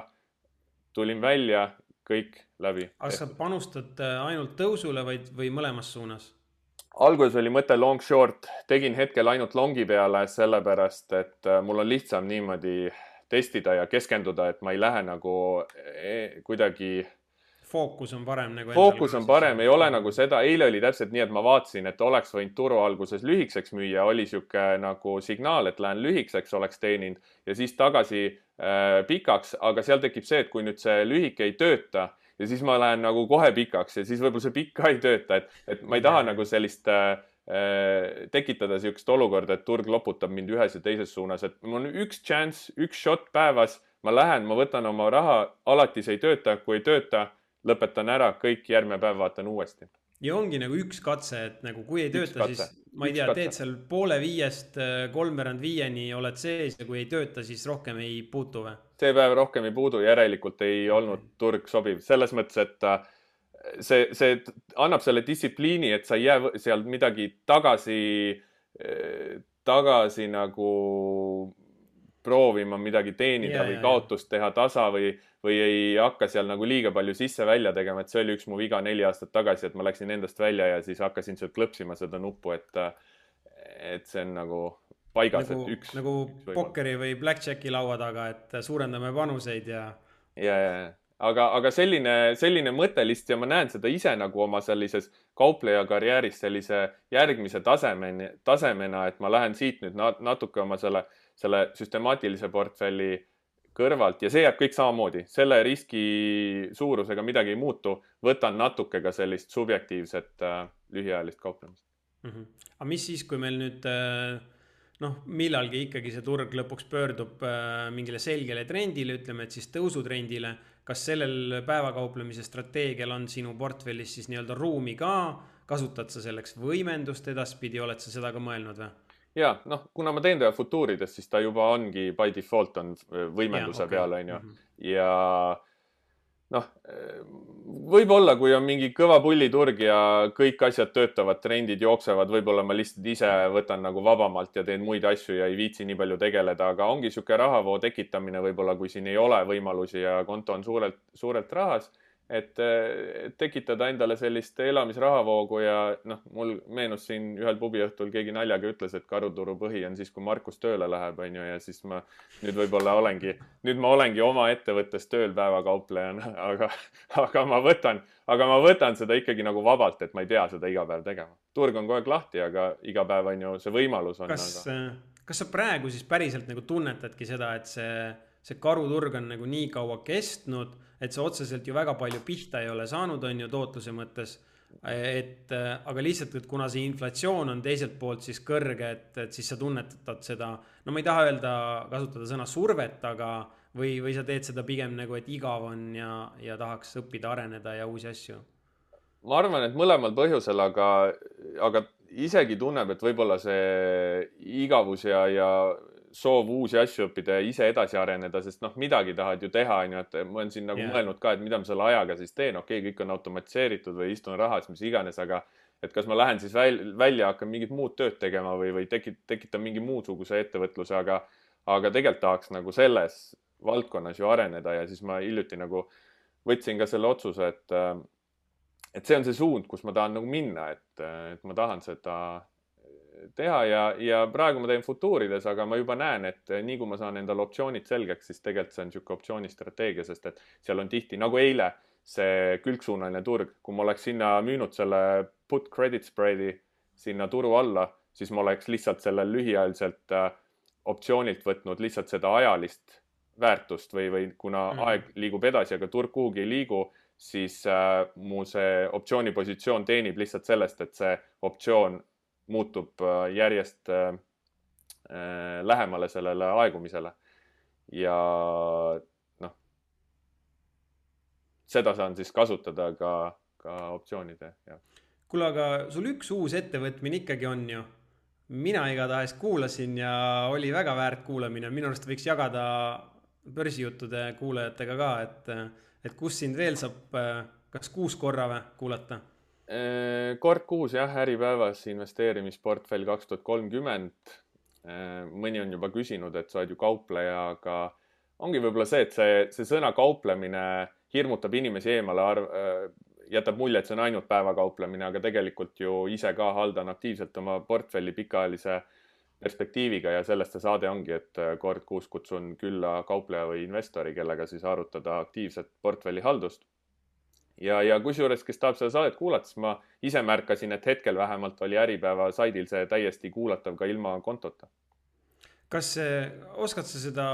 tulin välja, kõik läbi. Aga sa panustad ainult tõusule või, või mõlemas suunas? Alguses oli mõte long short, tegin hetkel ainult longi peale sellepärast, et mul on lihtsam niimoodi testida ja keskenduda, et ma ei lähe nagu kuidagi... Fookus on parem nagu... Fookus on parem, ei ole nagu seda. Eile oli täpselt nii, et ma vaatasin, et oleks võinud turu alguses lühikseks müüa, oli siuke nagu signaal, et lähen lühikseks, oleks teeninud ja siis tagasi äh, pikaks, aga seal tekib see, et kui nüüd see lühike ei tööta ja siis ma lähen nagu kohe pikaks ja siis võib-olla see pikk ka ei tööta, et, et ma ei taha nagu sellist äh, tekitada siukest olukorda, et turg loputab mind ühes ja teises suunas, et mul on üks chance, üks shot päevas, ma lähen, ma võtan oma raha, alati see ei tööta, kui ei tööta, lõpetan ära, kõik järgmine päev vaatan uuesti. Ja ongi nagu üks katse, et nagu kui ei tööta, siis ma ei tea, teed seal poole viiest, kolmveerand viieni oled sees ja kui ei tööta, siis rohkem ei puutu või? See päev rohkem ei puudu, järelikult ei olnud turg sobiv. Selles mõttes, et see, see annab selle distsipliini, et sa ei jää seal midagi tagasi, tagasi nagu proovima midagi teenida ja, või kaotust teha tasa või, või ei hakka seal nagu liiga palju sisse-välja tegema, et see oli üks mu viga neli aastat tagasi, et ma läksin endast välja ja siis hakkasin sealt klõpsima seda nuppu, et, et see on nagu paigas, nagu, et üks. Nagu üks pokkeri või blackjacki laua taga, et suurendame panuseid ja... Ja, ja, aga, aga selline, selline mõttelist ja ma näen seda ise nagu oma sellises kaupleja karjääris sellise järgmise tasemeni, tasemena, et ma lähen siit nüüd natuke oma selle selle süstemaatilise portfelli kõrvalt ja see jääb kõik samamoodi. Selle riski suurusega midagi ei muutu. Võtan natuke ka sellist subjektiivset äh, lühiajalist kauplemist. Mm -hmm. Aga mis siis, kui meil nüüd äh, noh, millalgi ikkagi see turg lõpuks pöördub äh, mingile selgele trendile, ütleme, et siis tõusutrendile, kas sellel päevakauplemise strateegial on sinu portfellis siis nii-öelda ruumi ka? Kasutad sa selleks võimendust edaspidi, oled sa seda ka mõelnud või? Ja, noh, kuna ma teen teda futuurides, siis ta juba ongi by default on võimenduse ja, okay. peale, on ju. Mm -hmm. Ja noh, võib-olla, kui on mingi kõva pulliturg ja kõik asjad töötavad, trendid jooksevad, võib-olla ma lihtsalt ise võtan nagu vabamalt ja teen muid asju ja ei viitsi nii palju tegeleda, aga ongi siuke rahavoo tekitamine võib-olla, kui siin ei ole võimalusi ja konto on suurelt, suurelt rahas, et tekitada endale sellist elamisrahavoogu ja noh, mul meenus siin ühel pubiõhtul keegi naljaga ütles, et karuturu põhi on siis, kui Markus tööle läheb, on ju, ja siis ma nüüd võib-olla olengi, nüüd ma olengi oma ettevõttes tööl päevakauplejana, aga, aga ma võtan, aga ma võtan seda ikkagi nagu vabalt, et ma ei pea seda iga päev tegema. Turg on kogu aeg lahti, aga iga päev on ju see võimalus on. Kas, aga... kas sa praegu siis päriselt nagu tunnetadki seda, et see, see karuturg on nagu nii kaua kestnud, et see otseselt ju väga palju pihta ei ole saanud, on ju tootluse mõttes, et aga lihtsalt, et kuna see inflatsioon on teiselt poolt siis kõrge, et, et siis sa tunnetad seda, no ma ei taha öelda, kasutada sõna survet, aga või, või sa teed seda pigem nagu, et igav on ja, ja tahaks õppida, areneda ja uusi asju? Ma arvan, et mõlemal põhjusel, aga, aga isegi tunneb, et võib-olla see igavus ja, ja soov uusi asju õppida ja ise edasi areneda, sest noh, midagi tahad ju teha, on ju, et ma olen siin nagu yeah. mõelnud ka, et mida ma selle ajaga siis teen, okei, okay, kõik on automatiseeritud või istun rahas, mis iganes, aga et kas ma lähen siis väl, välja, hakkan mingit muud tööd tegema või, või tekit, tekitan mingi muusuguse ettevõtluse, aga, aga tegelikult tahaks nagu selles valdkonnas ju areneda ja siis ma hiljuti nagu võtsin ka selle otsuse, et, et see on see suund, kus ma tahan nagu minna, et, et ma tahan seda teha ja, ja praegu ma teen futuurides, aga ma juba näen, et nii kui ma saan endale optsioonid selgeks, siis tegelikult see on niisugune optsioonistrateegia, sest et seal on tihti, nagu eile, see külgsuunaline turg, kui ma oleks sinna müünud selle put credit spread'i sinna turu alla, siis ma oleks lihtsalt selle lühiajaliselt äh, optsioonilt võtnud lihtsalt seda ajalist väärtust või, või kuna mm. aeg liigub edasi, aga turg kuhugi ei liigu, siis äh, mu see optsioonipositsioon teenib lihtsalt sellest, et see optsioon muutub järjest äh, lähemale sellele aegumisele ja noh, seda saan siis kasutada ka, ka optsioonide. Kuule, aga sul üks uus ettevõtmine ikkagi on ju. Mina igatahes kuulasin ja oli väga väärt kuulamine. Minu arust võiks jagada börsijuttude kuulajatega ka, et, et kus sind veel saab kas kuus korra või kuulata? Kord kuus jah, Äripäevas investeerimisportfell kaks tuhat kolmkümmend. Mõni on juba küsinud, et sa oled ju kaupleja, aga ongi võib-olla see, et see, see sõna kauplemine hirmutab inimesi eemale, arv, jätab mulje, et see on ainult päevakauplemine, aga tegelikult ju ise ka haldan aktiivselt oma portfelli pikaajalise perspektiiviga ja sellest see saade ongi, et kord kuus kutsun külla kaupleja või investori, kellega siis arutada aktiivset portfelli haldust. Ja, ja kusjuures, kes tahab seda saadet kuulata, siis ma ise märkasin, et hetkel vähemalt oli Äripäeva saidil see täiesti kuulatav ka ilma kontota. Kas oskad sa seda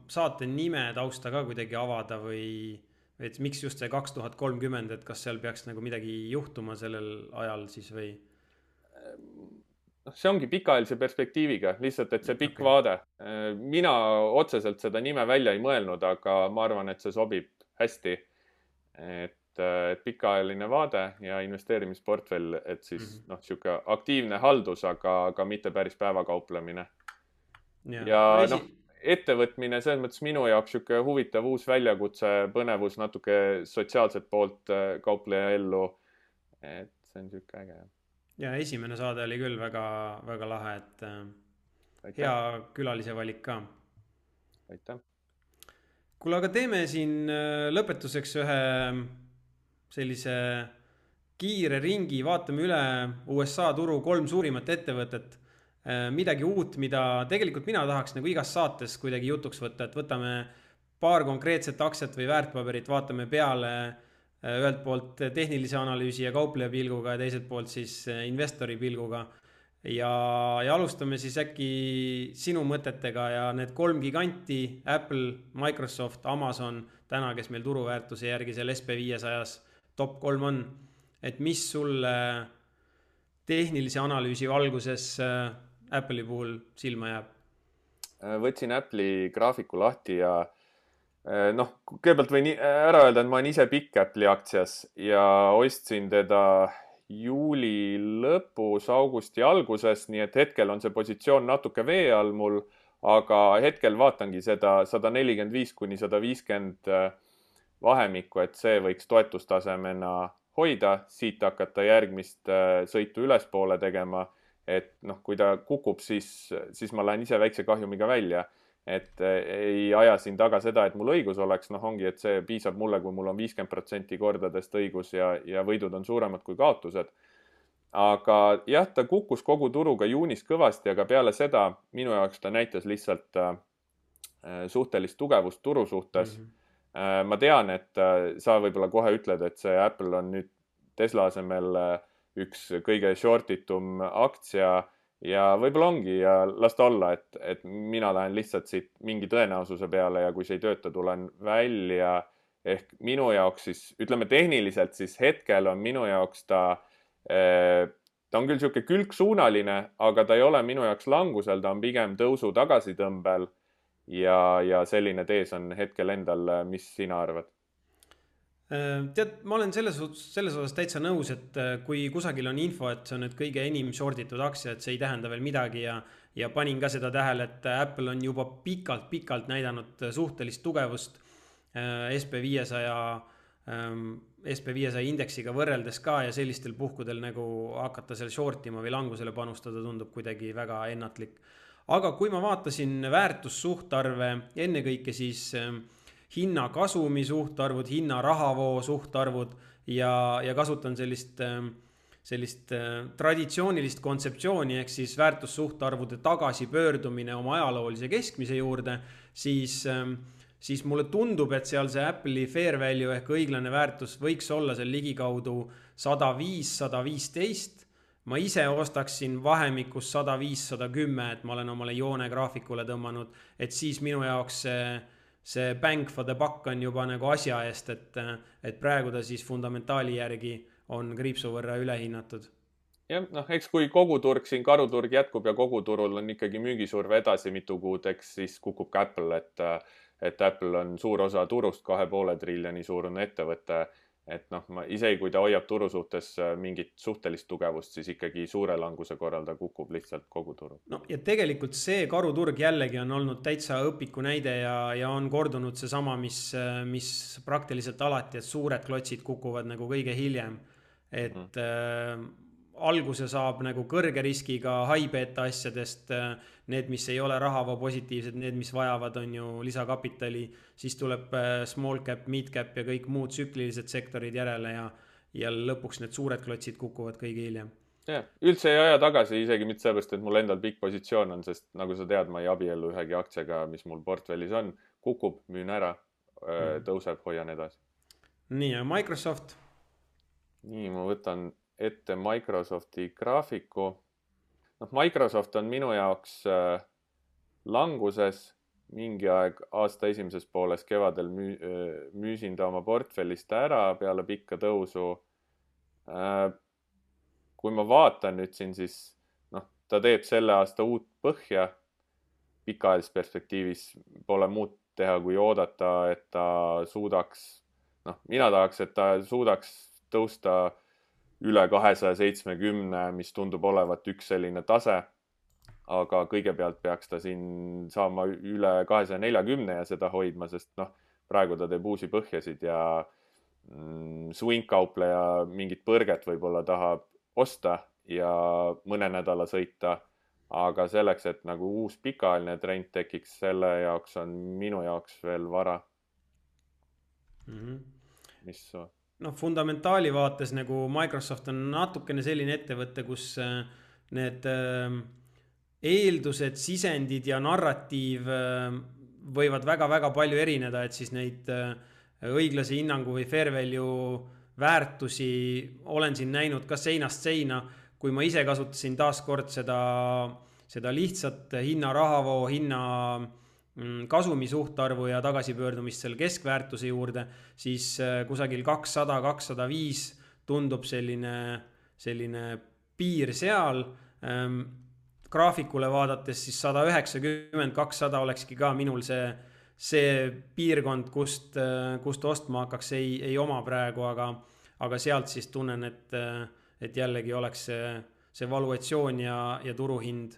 saate nime tausta ka kuidagi avada või et miks just see kaks tuhat kolmkümmend, et kas seal peaks nagu midagi juhtuma sellel ajal siis või? See ongi pikaajalise perspektiiviga, lihtsalt, et see pikk okay. vaade. Mina otseselt seda nime välja ei mõelnud, aga ma arvan, et see sobib hästi. Et et pikaajaline vaade ja investeerimisportfell, et siis mm -hmm. noh, siuke aktiivne haldus, aga, aga mitte päris päevakauplemine. Ja, ja esi... noh, ettevõtmine selles mõttes minu jaoks siuke huvitav uus väljakutse, põnevus, natuke sotsiaalset poolt kaupleja ellu. Et see on siuke äge. Ja esimene saade oli küll väga, väga lahe, et Aitäh. Hea külalise valik ka. Aitäh. Kuule, aga teeme siin lõpetuseks ühe sellise kiire ringi, vaatame üle U S A turu kolm suurimat ettevõtet, midagi uut, mida tegelikult mina tahaks nagu igas saates kuidagi jutuks võtta, et võtame paar konkreetset aktsiat või väärtpaberit, vaatame peale ühelt poolt tehnilise analüüsi ja kaupleja pilguga ja teiselt poolt siis investori pilguga. Ja, ja alustame siis äkki sinu mõtetega ja need kolm giganti, Apple, Microsoft, Amazon, täna, kes meil turuväärtuse järgi seal S P viiesajas top kolm on, et mis sulle tehnilise analüüsi valguses Apple'i puhul silma jääb? Võtsin Apple'i graafiku lahti ja noh, kõigepealt võin ära öelda, et ma olen ise pikk Apple'i aktsias ja ostsin teda juuli lõpus, augusti alguses, nii et hetkel on see positsioon natuke vee all mul, aga hetkel vaatangi seda sada nelikümmend viis kuni sada viiskümmend vahemikku, et see võiks toetustasemena hoida, siit hakata järgmist sõitu ülespoole tegema, et noh, kui ta kukub, siis, siis ma lähen ise väikse kahjumiga välja et ei aja siin taga seda, et mul õigus oleks, noh ongi, et see piisab mulle, kui mul on viiskümmend protsenti kordadest õigus ja, ja võidud on suuremad kui kaotused. Aga jah, ta kukkus kogu turuga juunis kõvasti, aga peale seda minu jaoks ta näitas lihtsalt äh, suhtelist tugevust turu suhtes. Mm -hmm. äh, ma tean, et äh, sa võib-olla kohe ütled, et see Apple on nüüd Tesla asemel äh, üks kõige shortitum aktsia ja võib-olla ongi ja las ta olla, et, et mina lähen lihtsalt siit mingi tõenäosuse peale ja kui see ei tööta, tulen välja. Ehk minu jaoks siis, ütleme tehniliselt, siis hetkel on minu jaoks ta ta on küll siuke külgsuunaline, aga ta ei ole minu jaoks langusel, ta on pigem tõusu tagasitõmbel ja, ja selline tees on hetkel endal, mis sina arvad? Tead, ma olen selles, selles osas täitsa nõus, et kui kusagil on info, et see on nüüd kõige enim shortitud aktsia, et see ei tähenda veel midagi ja, ja panin ka seda tähele, et Apple on juba pikalt-pikalt näidanud suhtelist tugevust S P viiesaja S P viiesaja indeksiga võrreldes ka ja sellistel puhkudel nagu hakata seal shortima või langusele panustada tundub kuidagi väga ennatlik. Aga kui ma vaatasin väärtussuhtarve ennekõike siis hinna kasumi suhtarvud, hinna rahavoo suhtarvud ja, ja kasutan sellist, sellist traditsioonilist kontseptsiooni ehk siis väärtussuhtarvude tagasipöördumine oma ajaloolise keskmise juurde, siis siis mulle tundub, et seal see Apple'i fair value ehk õiglane väärtus võiks olla seal ligikaudu sada viis, sada viisteist. Ma ise ostaksin vahemikus sada viis, sada kümme, et ma olen omale joone graafikule tõmmanud, et siis minu jaoks see, see bang for the buck on juba nagu asja eest, et, et praegu ta siis fundamentaali järgi on kriipsu võrra ülehinnatud. Jah, noh, eks kui koguturg siin karuturg jätkub ja koguturul on ikkagi müügisurve edasi mitu kuud, eks siis kukub ka Apple, et et Apple on suur osa turust, kahe poole triljoni suurune ettevõte, et noh, ma isegi kui ta hoiab turu suhtes mingit suhtelist tugevust, siis ikkagi suure languse korral ta kukub lihtsalt kogu turu. No ja tegelikult see karuturg jällegi on olnud täitsa õpiku näide ja, ja on kordunud see sama, mis, mis praktiliselt alati, et suured klotsid kukuvad nagu kõige hiljem, et mm. äh, alguse saab nagu kõrge riskiga high beta asjadest, need, mis ei ole rahavoo positiivsed, need, mis vajavad, on ju lisakapitali, siis tuleb small cap, mid cap ja kõik muud tsüklilised sektorid järele ja, ja lõpuks need suured klotsid kukuvad kõige hiljem. Ja, üldse ei aja tagasi, isegi mitte sellepärast, et mul endal pikk positsioon on, sest nagu sa tead, ma ei abiellu ühegi aktsiaga, mis mul portfellis on, kukub, müün ära, tõuseb, hoian edasi. Nii, ja Microsoft? Nii, ma võtan ette Microsofti graafiku. noh, Microsoft on minu jaoks äh, languses mingi aeg aasta esimeses pooles kevadel müü, äh, müüsin ta oma portfellist ära peale pikka tõusu. Äh, kui ma vaatan nüüd siin, siis noh, ta teeb selle aasta uut põhja. Pikaajalises perspektiivis pole muud teha, kui oodata, et ta suudaks, noh, mina tahaks, et ta suudaks tõusta üle kahesaja seitsmekümne, mis tundub olevat üks selline tase, aga kõigepealt peaks ta siin saama üle kahesaja neljakümne ja seda hoidma, sest noh, praegu ta teeb uusi põhjasid ja mm, swing-kaupleja mingit põrget võib-olla tahab osta ja mõne nädala sõita, aga selleks, et nagu uus pikaajaline trend tekiks, selle jaoks on minu jaoks veel vara. Mm-hmm. Mis so? noh, fundamentaali vaates nagu Microsoft on natukene selline ettevõte, kus need eeldused, sisendid ja narratiiv võivad väga-väga palju erineda, et siis neid õiglase hinnangu või fair value väärtusi olen siin näinud ka seinast seina, kui ma ise kasutasin taaskord seda, seda lihtsat hinna rahavoo, hinna kasumi suhtarvu ja tagasipöördumist selle keskväärtuse juurde, siis kusagil kakssada, kakssada viis tundub selline, selline piir seal. Graafikule vaadates siis sada üheksakümmend, kakssada olekski ka minul see, see piirkond, kust, kust ostma hakkaks, ei, ei oma praegu, aga, aga sealt siis tunnen, et, et jällegi oleks see, see valuatsioon ja, ja turuhind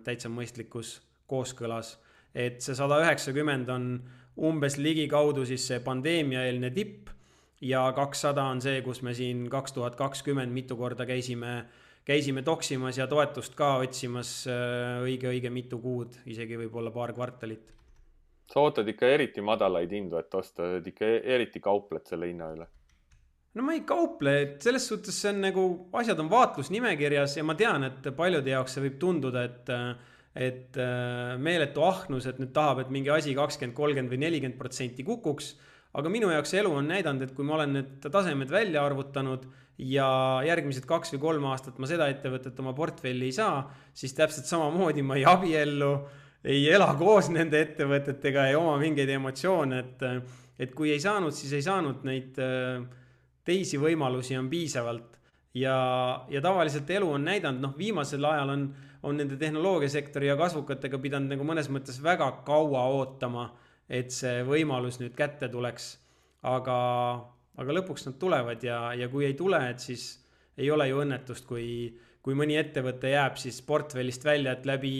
täitsa mõistlikus kooskõlas. Et see sada üheksakümmend on umbes ligikaudu siis see pandeemiaeelne tipp ja kakssada on see, kus me siin kaks tuhat kakskümmend mitu korda käisime, käisime toksimas ja toetust ka otsimas õige-õige mitu kuud, isegi võib-olla paar kvartalit. Sa ootad ikka eriti madalaid hindu, et osta, et ikka eriti kaupled selle hinna üle? No ma ei kauple, et selles suhtes see on nagu, asjad on vaatlusnimekirjas ja ma tean, et paljude jaoks see võib tunduda, et, et meeletu ahnus, et nüüd tahab, et mingi asi kakskümmend, kolmkümmend või nelikümmend protsenti kukuks. Aga minu jaoks elu on näidanud, et kui ma olen need tasemed välja arvutanud ja järgmised kaks või kolm aastat ma seda ettevõtet oma portfelli ei saa, siis täpselt samamoodi ma ei abiellu, ei ela koos nende ettevõtetega, ei oma mingeid emotsioone, et, et kui ei saanud, siis ei saanud, neid teisi võimalusi on piisavalt. Ja, ja tavaliselt elu on näidanud, noh viimasel ajal on, on nende tehnoloogiasektori ja kasvukatega pidanud nagu mõnes mõttes väga kaua ootama, et see võimalus nüüd kätte tuleks. Aga, aga lõpuks nad tulevad ja, ja kui ei tule, et siis ei ole ju õnnetust, kui, kui mõni ettevõte jääb siis portfellist välja, et läbi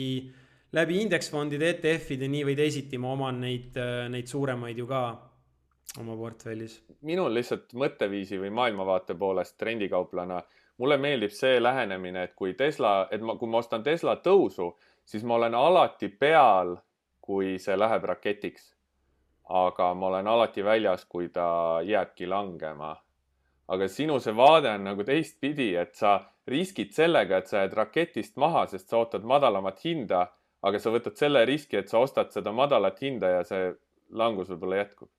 läbi indeksfondide, E T F-ide nii või teisiti ma oman neid, neid suuremaid ju ka oma portfellis. Minul lihtsalt mõtteviisi või maailmavaate poolest trendikauplana, mulle meeldib see lähenemine, et kui Tesla, et ma, kui ma ostan Tesla tõusu, siis ma olen alati peal, kui see läheb raketiks. Aga ma olen alati väljas, kui ta jääbki langema. Aga sinu see vaade on nagu teistpidi, et sa riskid sellega, et sa jääd raketist maha, sest sa ootad madalamat hinda, aga sa võtad selle riski, et sa ostad seda madalat hinda ja see langus võib-olla jätkub.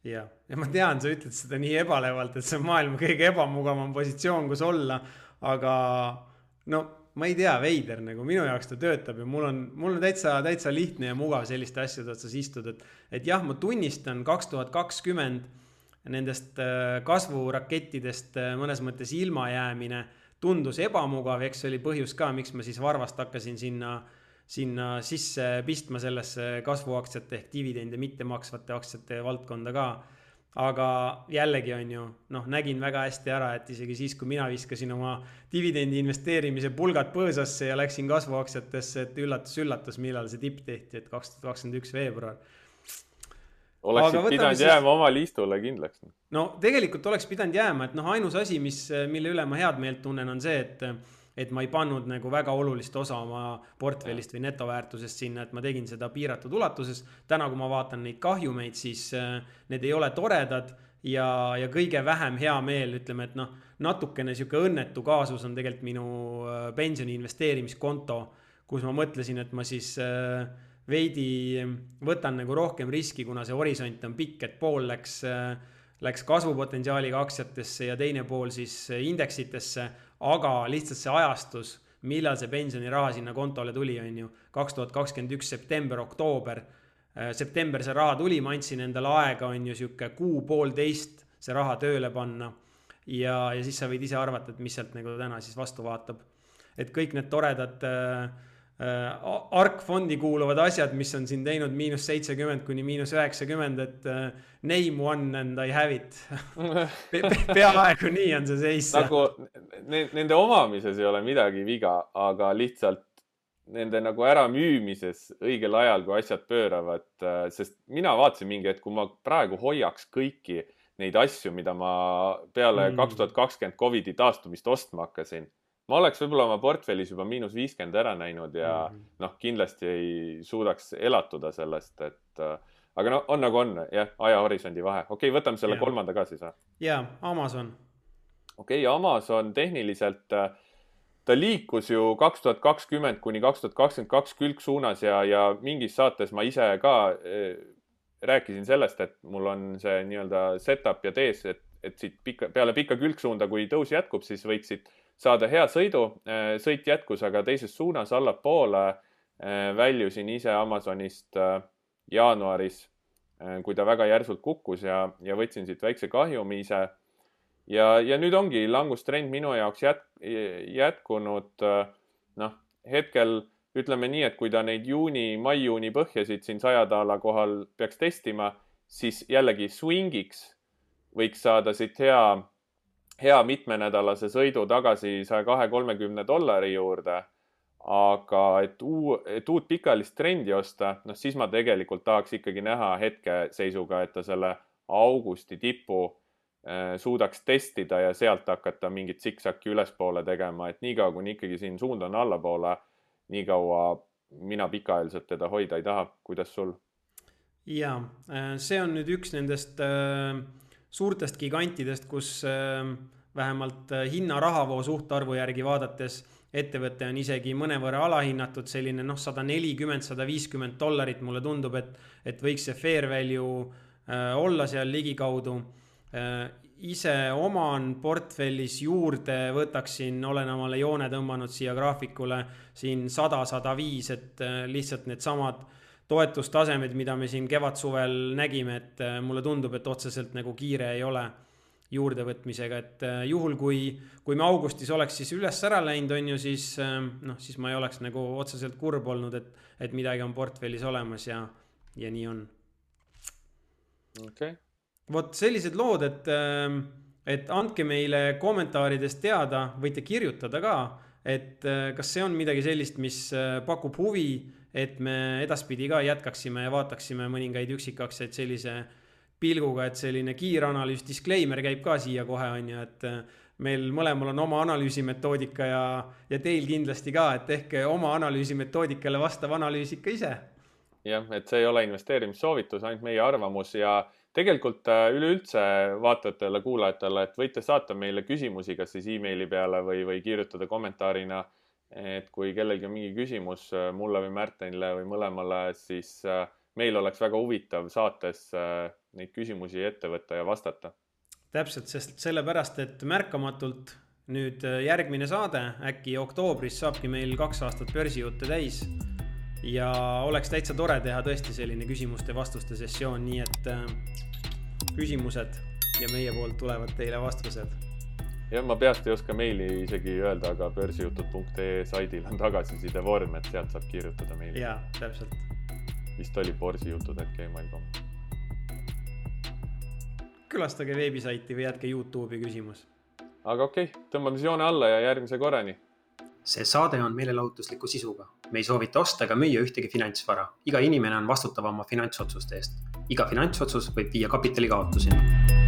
Ja, ja ma tean, sa ütled seda nii ebalevalt, et see on maailma kõige ebamugavam positsioon, kus olla, aga no ma ei tea, veider, nagu minu jaoks ta töötab ja mul on, mul on täitsa, täitsa lihtne ja mugav selliste asjade otsas istud, et, et jah, ma tunnistan kaks tuhat kakskümmend nendest kasvurakettidest mõnes mõttes ilmajäämine tundus ebamugav, eks oli põhjus ka, miks ma siis varvast hakkasin sinna sinna sisse pistma sellesse kasvuaktsiate ehk dividende mitte maksvate aktsiate valdkonda ka. Aga jällegi on ju, noh, nägin väga hästi ära, et isegi siis, kui mina viskasin oma dividendi investeerimise pulgad põõsasse ja läksin kasvuaktsiatesse, et üllatus, üllatus, millal see tipp tehti, et kaks tuhat kakskümmend üks veebruar. Oleksid pidanud siis... jääma oma liistule kindlaks. No tegelikult oleks pidanud jääma, et noh, ainus asi, mis, mille üle ma head meelt tunnen, on see, et et ma ei pannud nagu väga olulist osa oma portfellist või netoväärtusest sinna, et ma tegin seda piiratud ulatuses. Täna, kui ma vaatan neid kahjumeid, siis need ei ole toredad ja, ja kõige vähem hea meel, ütleme, et noh, natukene siuke õnnetu kaasus on tegelikult minu pensioni investeerimiskonto, kus ma mõtlesin, et ma siis veidi võtan nagu rohkem riski, kuna see horisont on pikk, et pool läks, läks kasvupotentsiaaliga aktsiatesse ja teine pool siis indeksitesse. Aga lihtsalt see ajastus, millal see pensioniraha sinna kontole tuli, on ju, kaks tuhat kakskümmend üks september, oktoober. September see raha tuli, ma andsin endale aega, on ju, siuke kuu poolteist see raha tööle panna. Ja, ja siis sa võid ise arvata, et mis sealt nagu täna siis vastu vaatab. Et kõik need toredad äh, ARK-fondi kuuluvad asjad, mis on siin teinud miinus seitsekümmend kuni miinus üheksakümmend, et uh, name one and I have it. Pe peaaegu nii on see seis. Nagu nende omamises ei ole midagi viga, aga lihtsalt nende nagu ära müümises õigel ajal, kui asjad pööravad, sest mina vaatasin mingi, et kui ma praegu hoiaks kõiki neid asju, mida ma peale mm. kaks tuhat kakskümmend Covidi taastumist ostma hakkasin, ma oleks võib-olla oma portfellis juba miinus viiskümmend ära näinud ja mm -hmm. noh, kindlasti ei suudaks elatuda sellest, et aga no on nagu on, jah, ajahorisondi vahe. Okei, okay, võtame selle ja. kolmanda ka siis. Jaa, Amazon. Okei, okay, Amazon tehniliselt, ta liikus ju kaks tuhat kakskümmend kuni kaks tuhat kakskümmend kaks külgsuunas ja, ja mingis saates ma ise ka eh, rääkisin sellest, et mul on see nii-öelda setup ja tees, et, et siit pika, peale pikka külgsuunda, kui tõus jätkub, siis võiksid saada hea sõidu. Sõit jätkus, aga teises suunas allapoole väljusin ise Amazonist jaanuaris, kui ta väga järsult kukkus ja, ja võtsin siit väikse kahjumi ise. Ja, ja nüüd ongi langustrend minu jaoks jät, jätkunud. Noh, hetkel ütleme nii, et kui ta neid juuni, mai-juuni põhjasid siin sajadaala kohal peaks testima, siis jällegi swingiks võiks saada siit hea hea mitmenädalase sõidu tagasi saja kahe kolmekümne dollari juurde, aga et, uu, et uut pikalist trendi osta, noh siis ma tegelikult tahaks ikkagi näha hetkeseisuga, et ta selle augusti tipu suudaks testida ja sealt hakata mingit siksaki ülespoole tegema, et nii kaua, kuni ikkagi siin suund on allapoole, nii kaua mina pikaajaliselt teda hoida ei taha. Kuidas sul? Ja, see on nüüd üks nendest suurtest gigantidest, kus vähemalt hinna rahavoo suhtarvu järgi vaadates ettevõte on isegi mõnevõrra alahinnatud, selline noh, sada nelikümmend, sada viiskümmend dollarit mulle tundub, et, et võiks see fair value olla seal ligikaudu. Ise oman portfellis juurde võtaksin, olen omale joone tõmmanud siia graafikule siin sada, sada viis, et lihtsalt need samad toetustasemed, mida me siin kevad-suvel nägime, et mulle tundub, et otseselt nagu kiire ei ole juurdevõtmisega, et juhul kui, kui me augustis oleks siis üles ära läinud, on ju, siis, noh, siis ma ei oleks nagu otseselt kurb olnud, et, et midagi on portfellis olemas ja, ja nii on. Okay. Vot sellised lood, et, et andke meile kommentaaridest teada, võite kirjutada ka, et kas see on midagi sellist, mis pakub huvi, et me edaspidi ka jätkaksime ja vaataksime mõningaid üksikakseid sellise pilguga, et selline kiiranalüüs, disclaimer käib ka siia kohe, on ju, et meil mõlemal on oma analüüsimetoodika ja, ja teil kindlasti ka, et ehk oma analüüsimetoodikale vastav analüüs ikka ise. Jah, et see ei ole investeerimissoovitus, ainult meie arvamus ja tegelikult üleüldse vaatajatele, kuulajatele, et võite saata meile küsimusi, kas siis e-maili peale või, või kirjutada kommentaarina, et kui kellelgi on mingi küsimus mulle või Märtenile või mõlemale, siis meil oleks väga huvitav saates neid küsimusi ette võtta ja vastata. Täpselt, sest sellepärast, et märkamatult nüüd järgmine saade, äkki oktoobris saabki meil kaks aastat börsijutte täis ja oleks täitsa tore teha tõesti selline küsimuste vastuste sessioon, nii et küsimused ja meie poolt tulevad teile vastused. Ja ma peast ei oska meili isegi öelda, aga börsijutud punkt ee saidil on tagasiside vorm, et sealt saab kirjutada meili. Jaa, täpselt. Vist oli borsijutud et gmail punkt com. Külastage veebisaiti või jätke YouTube'i küsimus. Aga okei, okay, tõmbame joone alla ja järgmise korrani. See saade on meelelahutusliku sisuga. Me ei soovita osta ega müüa ühtegi finantsvara. Iga inimene on vastutav oma finantsotsuste eest. Iga finantsotsus võib viia kapitali kaotuseni.